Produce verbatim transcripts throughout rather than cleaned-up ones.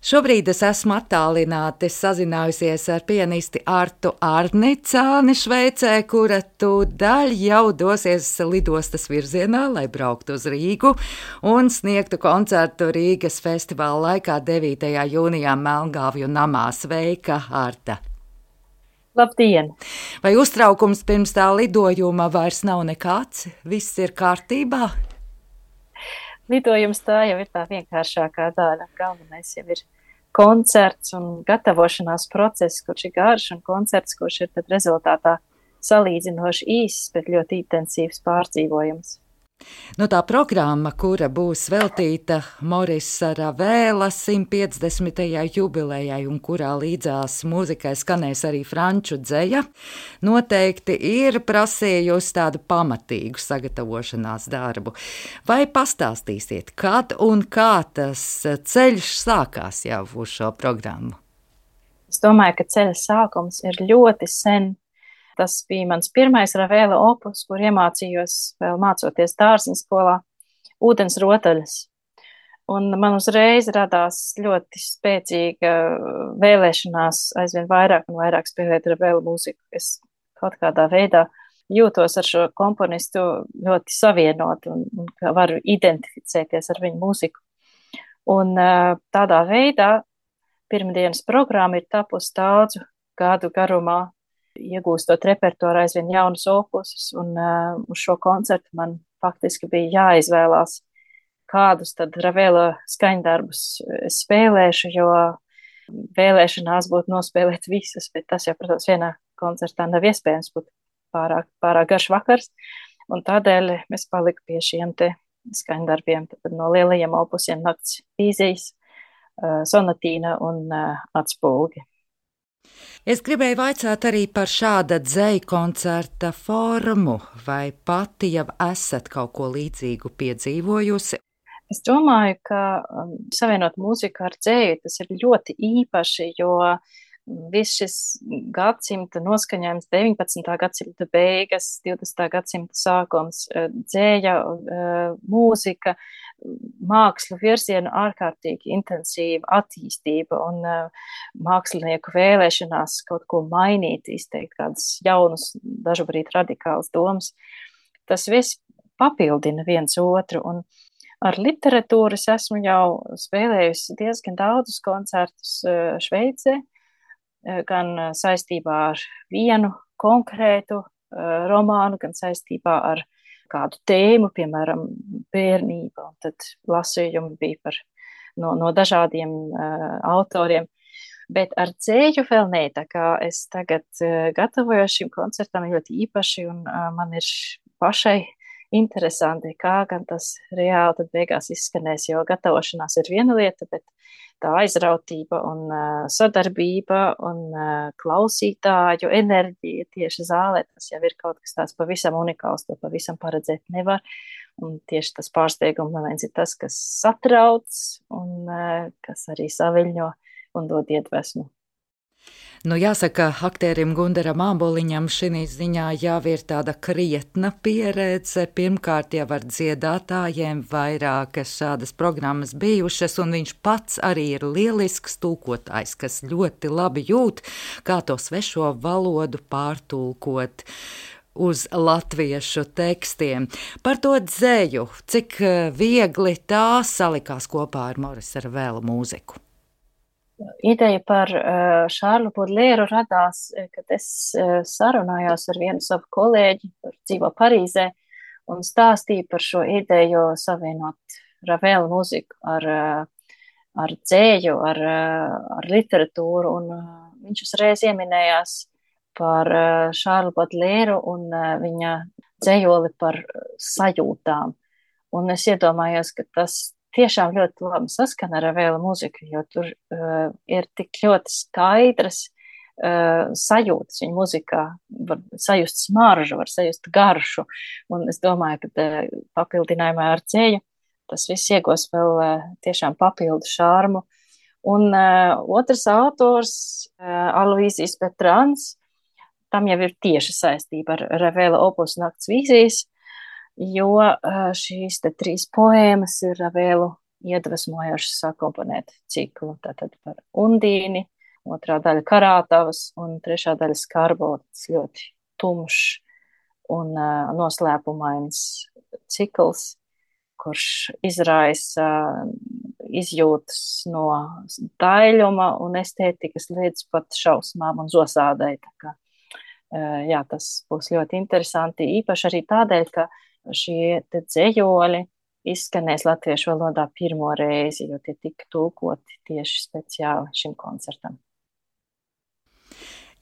Šobrīd es esmu attālināti sazinājusies ar pianisti Artu Arnicāni Šveicē, kura tūdaļ jau dosies lidostas virzienā, lai brauktu uz Rīgu un sniegtu koncertu Rīgas festivāla laikā devītajā jūnijā Melngāvju namā. Sveika, Arta! Labdien! Vai uztraukums pirms tā lidojuma vairs nav nekāds? Viss ir kārtībā? Lidojums tā jau ir tā vienkāršākā daļa. Galvenais jau ir koncerts un gatavošanās process, kurš ir garš, un koncerts, kurš ir tad rezultātā salīdzinoši īss, bet ļoti intensīvs pārdzīvojums. Nu, tā programma, kura būs veltīta Morisa Ravēla simt piecdesmitajai jubilejai un kurā līdzās mūzikai skanēs arī franču dzeja, noteikti ir prasījusi tādu pamatīgu sagatavošanās darbu. Vai pastāstīsiet, kad un kā tas ceļš sākās jau uz šo programmu? Es domāju, ka ceļa sākums ir ļoti sen. Tas bija mans pirmais Ravēla opus, kur iemācījos vēl mācoties dārziņu skolā ūdens rotaļas. Un man uzreiz radās ļoti spēcīga vēlēšanās aizvien vairāk un vairāk spēlēt Ravēla mūziku. Es kaut kādā veidā jūtos ar šo komponistu ļoti savienot un, un varu identificēties ar viņu mūziku. Un tādā veidā pirmdienas programma ir tapusi daudzu gadu garumā, iegūstot repertuāru aizvien jaunus opusus, un uh, uz šo koncertu man faktiski bija jāizvēlās, kādus tad Ravēla skaņdarbus es spēlēšu, jo vēlēšanās būtu nospēlēt visus, bet tas jau, protams, vienā koncertā nav iespējams, būt pārāk, pārāk garš vakars, un tādēļ es paliku pie šiem te skaņdarbiem, tad no lielajiem opusiem Nakts vīzijas, uh, Sonatīna un uh, Atspulgi. Es gribēju vaicāt arī par šāda dzeju koncerta formu, vai pati jau esat kaut ko līdzīgu piedzīvojusi? Es domāju, ka um, savienot mūziku ar dzeju, tas ir ļoti īpaši, jo viss šis gadsimta noskaņojums, deviņpadsmitā gadsimta beigas, divdesmitā gadsimta sākums, dzēja, mūzika, mākslu virzienu ārkārtīgi intensīva attīstība un mākslinieku vēlēšanās kaut ko mainīt, izteikt kādas jaunas, dažubrīd radikālas domas. Tas viss papildina viens otru, un ar literatūru es esmu jau spēlējusi diezgan daudzus koncertus Šveicē, gan saistībā ar vienu konkrētu uh, romānu, gan saistībā ar kādu tēmu, piemēram, bērnība. Un tad lasījumi bija par, no, no dažādiem uh, autoriem. Bet ar dzēju vēl nē, tā kā es tagad uh, gatavojos šim koncertam ļoti īpaši, un uh, man ir pašai interesanti, kā gan tas reāli tad beigās izskanēs, jo gatavošanās ir viena lieta, bet tā aizrautība un uh, sadarbība un uh, klausītāju enerģija tieši zālē, tas jau ir kaut kas tāds pavisam unikāls, to pavisam paredzēt nevar. Un tieši tas pārsteiguma moments ir tas, kas satrauc un uh, kas arī saviļņo un dod iedvesmu. Nu, jāsaka, aktierim Gundaram Āboliņam šī ziņā jau ir tāda krietna pieredze. Pirmkārt jau ar dziedātājiem vairākas šādas programmas bijušas, un viņš pats arī ir lielisks tulkotājs, kas ļoti labi jūt, kā to svešo valodu pārtulkot uz latviešu tekstiem. Par to dzeju, cik viegli tā salikās kopā ar Morisa Ravēla mūziku. Ideja par uh, Šārlu Bodlēru radās, kad es uh, sarunājos ar vienu savu kolēģi, kur dzīvo Parīzē, un stāstīju par šo ideju savienot Ravēla mūziku ar, uh, ar dzēju, ar, uh, ar literatūru, un uh, viņš uzreiz ieminējās par uh, Šārlu Bodlēru un uh, viņa dzējoli par sajūtām. Un es iedomājos, ka tas tiešām ļoti labi saskana ar Ravēla mūziku, jo tur uh, ir tik ļoti skaidras uh, sajūtas viņa muzikā, var sajust smaržu, var sajust garšu, un es domāju, ka uh, papildinājumā ar dzēju tas viss iegos vēl uh, tiešām papildu šārmu. Un uh, otrs autors, uh, Aloīzijas Petrāns, tam jau ir tieši saistība ar Ravēla opus Nakts vīzijas, jo šīs te trīs poēmas ir Ravēlu iedvesmojoši sakomponēt ciklu. Tātad par Undīni, otrā daļa Karātavas un trešā daļa Skarbo, tas ļoti tumšs un uh, noslēpumains cikls, kurš izraisa izjūtas no daļuma un estētikas līdz pat šausmām un zosādai. Tā kā, jā, tas būs ļoti interesanti, īpaši arī tādēļ, ka šie te dzejoļi izskanēs latviešu valodā pirmo reizi, jo tie tika tulkoti tieši speciāli šim koncertam.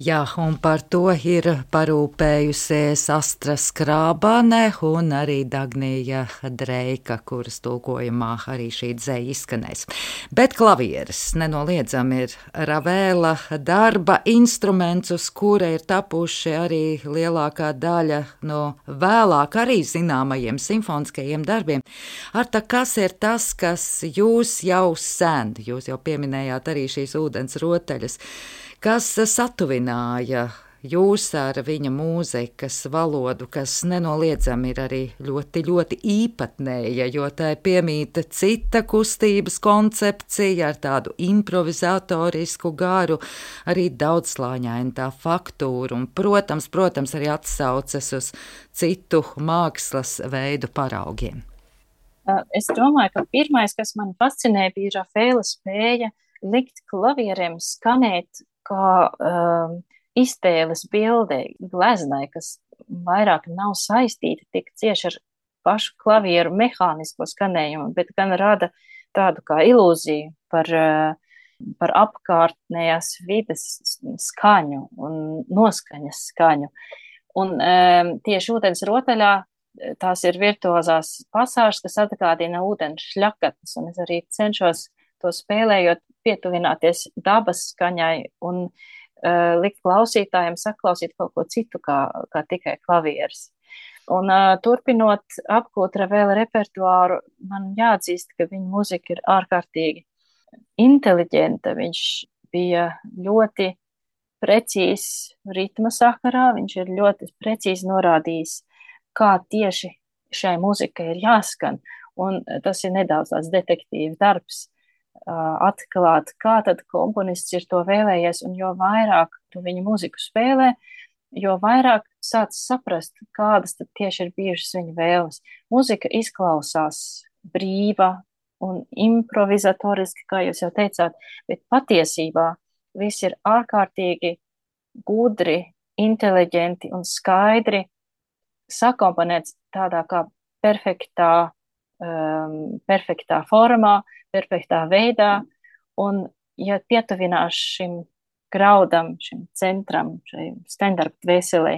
Jā, un par to ir parūpējusies Astra Skrābane un arī Dagnija Dreika, kuras tulkojumā arī šī dzeja izskanēs. Bet klavieres nenoliedzami ir Ravēla darba instruments, uz kura ir tapuši arī lielākā daļa no vēlāk arī zināmajiem simfoniskajiem darbiem. Arta, kas ir tas, kas jūs jau sen, jūs jau pieminējāt arī šīs ūdens rotaļas, kas satuvināja jūs ar viņa mūzikas valodu, kas nenoliedzami ir arī ļoti, ļoti īpatnēja, jo tai piemīta cita kustības koncepcija ar tādu improvizatorisku garu, arī daudzslāņainu tā faktūru un, protams, protams, arī atsaucas uz citu mākslas veidu paraugiem. Es domāju, ka pirmais, kas man fascinēja, bija Rafaela spēja likt klavieriem skanēt kā um, iztēles bildei, gleznai, kas vairāk nav saistīta tik cieši ar pašu klavieru mehānisko skanējumu, bet gan rada tādu kā ilūziju par, uh, par apkārtnējās vides skaņu un noskaņas skaņu. Un um, tieši ūdens rotaļā tās ir virtuozās pasāžas, kas atgādina ūdens šļakatas, un es arī cenšos to spēlējot, pietuvināties dabas skaņai un uh, likt klausītājiem saklausīt kaut ko citu kā, kā tikai klavieres. Un uh, turpinot apgūt Ravēla repertuāru, man jāatzīst, ka viņa muzika ir ārkārtīgi inteliģenta. Viņš bija ļoti precīzs ritma sakarā, viņš ir ļoti precīzi norādījis, kā tieši šai muzikai ir jāskan, un tas ir nedaudz tāds detektīva darbs, atklāt, kā tad komponists ir to vēlējies, un jo vairāk tu viņu muziku spēlē, jo vairāk sāc saprast, kādas tad tieši ir bijušas viņa vēles. Muzika izklausās brīva un improvizatoriski, kā jūs jau teicāt, bet patiesībā viss ir ārkārtīgi gudri, inteliģenti un skaidri sakomponēts tādā kā perfektā, um, perfektā formā, perfektā veidā, un ja pietuvinās šim graudam, šim centram, šai standarta dvēselē,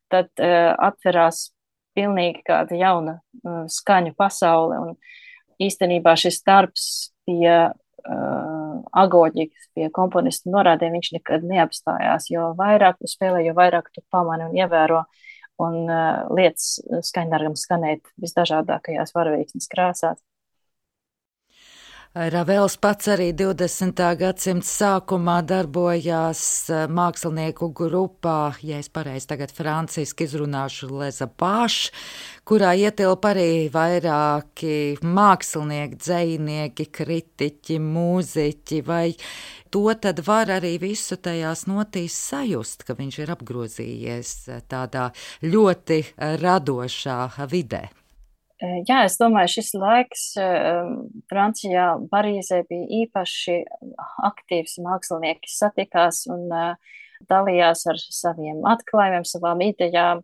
tad uh, atverās pilnīgi kāda jauna uh, skaņu pasaule, un īstenībā šis darbs pie uh, agoģikas, pie komponistu norādēm, viņš nekad neapstājās, jo vairāk tu spēlē, jo vairāk tu pamani un ievēro, un uh, lietas skaņdarbam skanēt visdažādākajās varavīksnes krāsās. Ravels pats arī divdesmitā gadsimta sākumā darbojās mākslinieku grupā, ja es pareizi tagad franciski izrunāšu, Les Apaches, kurā ietilpa arī vairāki mākslinieki, dzejnieki, kritiķi, mūziķi, vai to tad var arī visu tajās notīs sajust, ka viņš ir apgrozījies tādā ļoti radošā vidē? Jā, es domāju, šis laiks Francijā, Parīzē bija īpaši aktīvs, mākslinieki satikās un dalījās ar saviem atklājumiem, savām idejām,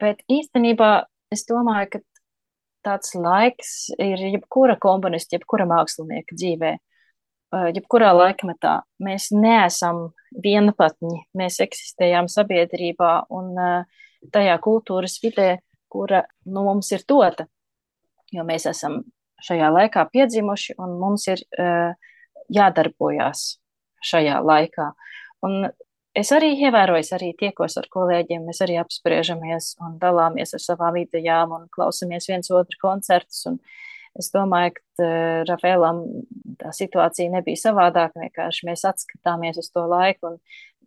bet īstenībā es domāju, ka tāds laiks ir jebkura komponista, jebkura mākslinieka dzīvē, jebkurā laikmetā. Mēs neesam vienpatņi, mēs eksistējām sabiedrībā un tajā kultūras vidē, kura nu, mums ir dota, jo mēs esam šajā laikā piedzimuši un mums ir uh, jādarbojās šajā laikā. Un es arī ievēroju, es arī tiekos ar kolēģiem, mēs arī apspriežamies un dalāmies ar savām idejām un klausamies viens otru koncertus. Un es domāju, ka uh, Ravēlam tā situācija nebija savādāka, vienkārši mēs atskatāmies uz to laiku un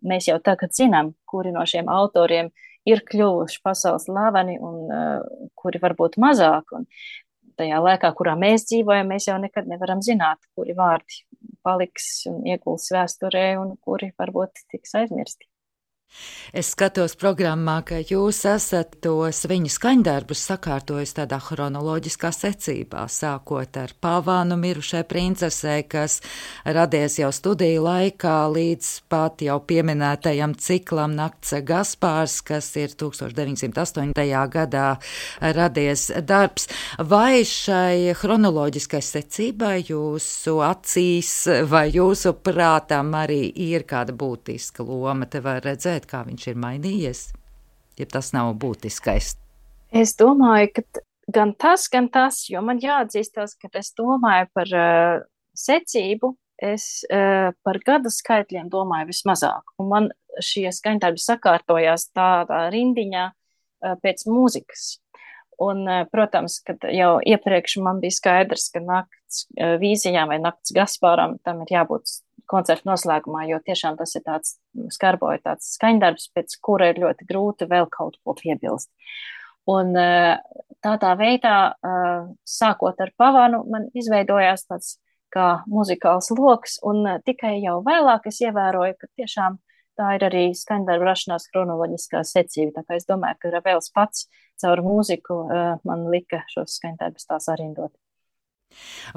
mēs jau tagad zinām, kuri no šiem autoriem ir kļuvuši pasaules slaveni un uh, kuri varbūt mazāk. Un tajā laikā, kurā mēs dzīvojam, mēs jau nekad nevaram zināt, kuri vārdi paliks un ieguls vēsturē un kuri varbūt tiks aizmirsti. Es skatos programmā, ka jūs esat tos viņa skaņdarbus sakārtojis tādā chronoloģiskā secībā, sākot ar Pavānu mirušai princesei, kas radies jau studiju laikā, līdz pat jau pieminētajam ciklam Nakts Gaspārs, kas ir tūkstoš deviņsimt astoņdesmitajā gadā radies darbs. Vai šai chronoloģiskai secībai jūsu acīs vai jūsu prātam arī ir kāda būtiska loma? Te var redzēt, kā viņš ir mainījies, ja tas nav būtiskais. Es domāju, ka gan tas, gan tas, jo man jāatzīstās, ka es domāju par uh, secību, es uh, par gadu skaitļiem domāju vismazāk. Un man šie skaņdarbi sakārtojās tādā rindiņā uh, pēc mūzikas. Un, uh, protams, kad jau iepriekš man bija skaidrs, ka nakts uh, vīzijām vai nakts Gaspāram tam ir jābūt koncerta noslēgumā, jo tiešām tas ir tāds skarboja tāds skaņdarbs, pēc kura ir ļoti grūti vēl kaut ko piebilst. Un tādā veidā, sākot ar Pavānu, man izveidojās tāds kā muzikāls loks, un tikai jau vēlāk es ievēroju, ka tiešām tā ir arī skaņdarba rašanās chronoloģiskā secība. Tā kā es domāju, ka Ravēls pats caur mūziku man lika šos skaņdarbus tās arindot.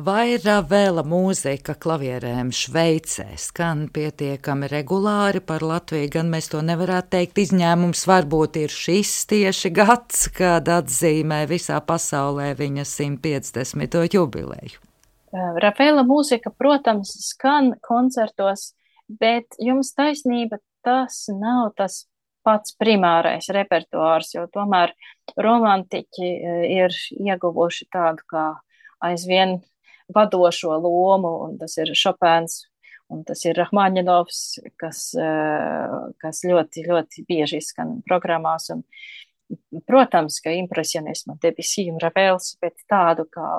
Vai Ravēla mūzika klavierēm Šveicē skan pietiekami regulāri par Latviju, gan mēs to nevarētu teikt. Izņēmums varbūt ir šis tieši gads, kad atzīmē visā pasaulē viņa simt piecdesmito jubileju. Ravēla mūzika, protams, skan koncertos, bet jums taisnība, tas nav tas pats primārais repertuārs, jo tomēr romantiķi ir ieguvuši tādu kā aizvien vadošo lomu, un tas ir Šopēns, un tas ir Rahmaņinovs, kas, kas ļoti, ļoti bieži izskan programmās, un, protams, ka impresionisma Debussy un Ravēls, bet tādu kā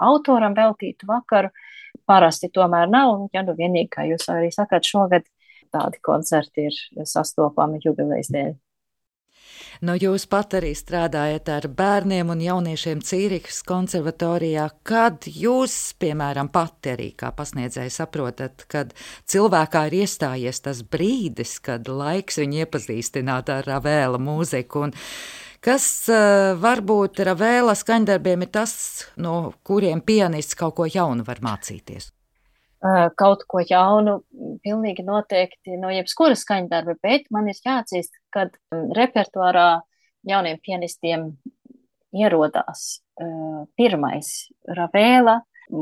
autoram veltītu vakaru parasti tomēr nav, un ja nu vienīgi, kā jūs arī sakāt, šogad tādi koncerti ir sastopami jubilejas dēļ. Nu, jūs pat arī strādājat ar bērniem un jauniešiem Cīrihas konservatorijā. Kad jūs, piemēram, pati arī kā pasniedzēji saprotat, kad cilvēkā ir iestājies tas brīdis, kad laiks viņu iepazīstināt ar Ravēla mūziku, un kas uh, varbūt Ravēla skaņdarbiem ir tas, no kuriem pianists kaut ko jaunu var mācīties? Kaut ko jaunu, pilnīgi noteikti no jebskura skaņdarba, bet man ir jāatzīst, kad repertuārā jauniem pianistiem ierodās uh, pirmais Ravēla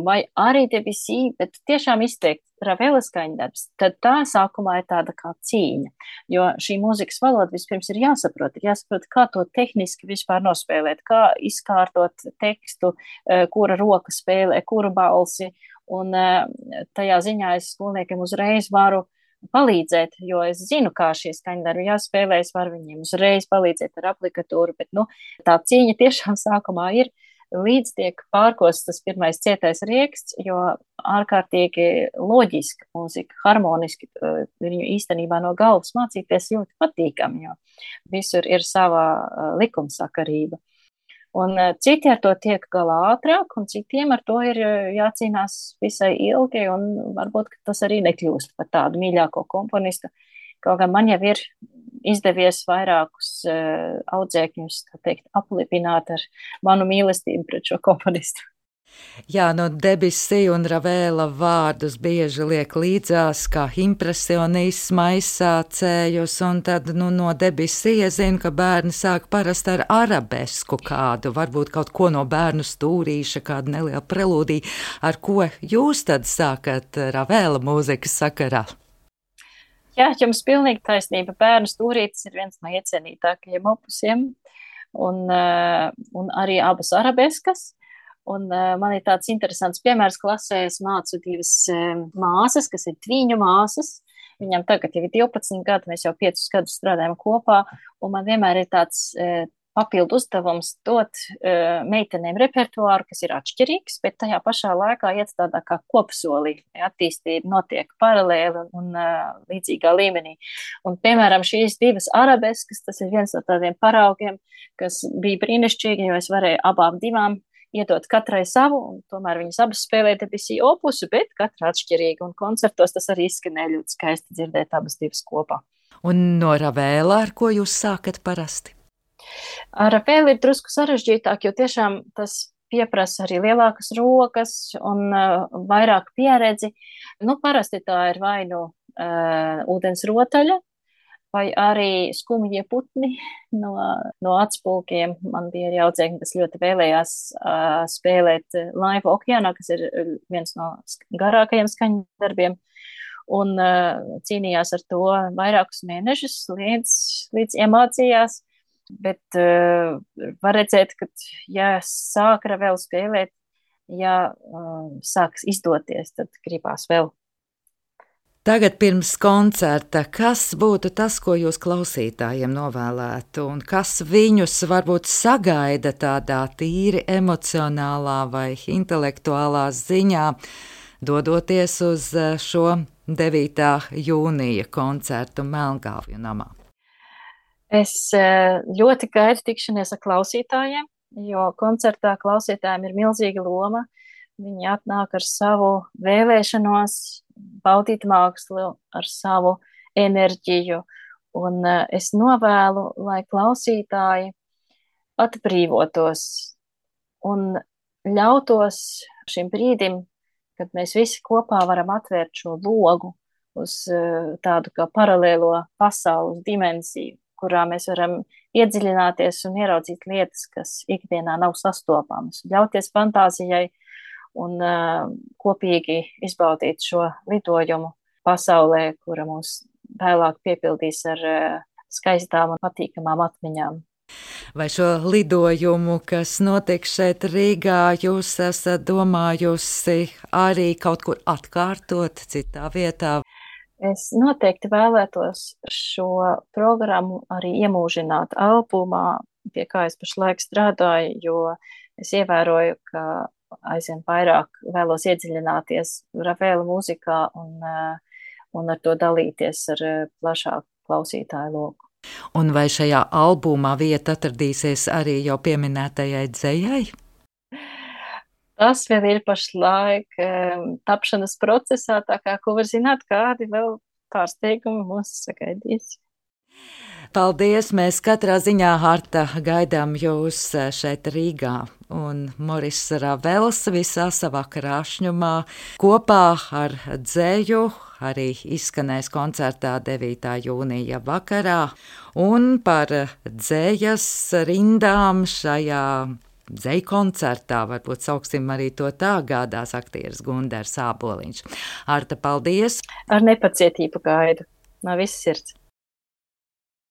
vai arī Debussy, bet tiešām izteikt Ravēla skaņdarbs, tad tā sākumā ir tāda kā cīņa, jo šī mūzikas valoda vispirms ir jāsaprot, ir jāsaprot, kā to tehniski vispār nospēlēt, kā izkārtot tekstu, uh, kura roka spēlē, kura balsi. Un tajā ziņā es skolniekiem uzreiz varu palīdzēt, jo es zinu, kā šie skaņdarbi jāspēlē, es varu viņiem uzreiz palīdzēt ar aplikatūru, bet nu, tā cīņa tiešām sākumā ir, līdz tiek pārkosts tas pirmais cietais rieksts, jo ārkārtīgi loģiska mūzika, harmoniski viņu īstenībā no galvas mācīties ļoti patīkami, jo visur ir sava likumsakarība. Un citi ar to tiek galā ātrāk, un citiem ar to ir jācīnās visai ilgi, un varbūt tas arī nekļūst par tādu mīļāko komponistu. Kaut gan man jau ir izdevies vairākus uh, audzēkņus, tā teikt, aplipināt ar manu mīlestību pret šo komponistu. Jā, no Debussy un Ravēla vārdus bieži liek līdzās kā impresionisma aizsācējus, un tad nu, no Debussy es zinu, ka bērni sāk parasti ar arabesku kādu, varbūt kaut ko no bērnu stūrīša, kādu nelielu prelūdiju. Ar ko jūs tad sākat Ravēla mūzikas sakarā? Jā, jums pilnīgi taisnība. Bērnu stūrītis ir viens no iecienītākajiem opusiem, un, un arī abas arabeskas. Un uh, man ir tāds interesants piemērs klasē, es mācu divas uh, māsas, kas ir tviņu māsas. Viņam tagad jau ir divpadsmit gadi, mēs jau piecus gadus strādājam kopā, un man vienmēr ir tāds uh, papildu uzdevums dot uh, meitenēm repertuāru, kas ir atšķirīgs, bet tajā pašā laikā iet tādā kā kopsolī, attīstība notiek paralēli un uh, līdzīgā līmenī. Un, piemēram, šīs divas arabeskas, tas ir viens no tādiem paraugiem, kas bija brīnišķīgi, jo es varēju abām divām iedot katrai savu, un tomēr viņas abas spēlē Debussy opusu, bet katra atšķirīgi, un koncertos tas arī izskanēja ļoti skaisti dzirdēt abas divas kopā. Un no Ravēla, ar ko jūs sākat parasti? Ar Ravēlu ir drusku sarežģītāk, jo tiešām tas pieprasa arī lielākas rokas un uh, vairāk pieredzi. Nu, parasti tā ir vai nu uh, ūdens rotaļa, vai arī skumjie putni no, no atspulkiem. Man bija arī audzēkņi, kas ļoti vēlējās uh, spēlēt Laivu okeānā, kas ir viens no garākajiem skaņdarbiem, un uh, cīnījās ar to vairākus mēnešus, līdz, līdz iemācījās. Bet uh, var redzēt, ka, ja sāk vēl spēlēt, ja uh, sāks izdoties, tad gribās vēl. Tagad pirms koncerta, kas būtu tas, ko jūs klausītājiem novēlētu, un kas viņus varbūt sagaida tādā tīri emocionālā vai intelektuālā ziņā, dodoties uz šo devītā jūnija koncertu Melngāvju namā? Es ļoti gaidu tikšanos ar klausītājiem, jo koncertā klausītājiem ir milzīga loma. Viņi atnāk ar savu vēlēšanos, baudīt mākslu, ar savu enerģiju. Un es novēlu, lai klausītāji atbrīvotos un ļautos šim brīdim, kad mēs visi kopā varam atvērt šo logu uz tādu kā paralēlo pasaules dimensiju, kurā mēs varam iedziļināties un ieraudzīt lietas, kas ikdienā nav sastopamas, ļauties fantāzijai un uh, kopīgi izbaudīt šo lidojumu pasaulē, kura mūs vēlāk piepildīs ar uh, skaistām un patīkamām atmiņām. Vai šo lidojumu, kas notiek šeit Rīgā, jūs esat domājusi arī kaut kur atkārtot citā vietā? Es noteikti vēlētos šo programmu arī iemūžināt albumā, pie kā es pašlaik strādāju, jo es ievēroju, ka aizvien vairāk vēlos iedziļināties Ravēla mūzikā un, un ar to dalīties ar plašāku klausītāju loku. Un vai šajā albumā vieta atradīsies arī jau pieminētajai dzejai? Tas vēl ir pašlaik um, tapšanas procesā, tā kā, ko var zināt, kādi vēl pārsteigumi mūs sagaidīs. Paldies! Mēs katrā ziņā, Harta, gaidām jūs šeit Rīgā. Un Moris Ravels visā savā krāšņumā kopā ar dzēju arī izskanēs koncertā devītā jūnija vakarā. Un par dzējas rindām šajā dzeju koncertā, varbūt sauksim arī to tā, gādās aktieris Gundars Āboliņš. Harta, paldies! Ar nepacietību gaidu no visas sirds.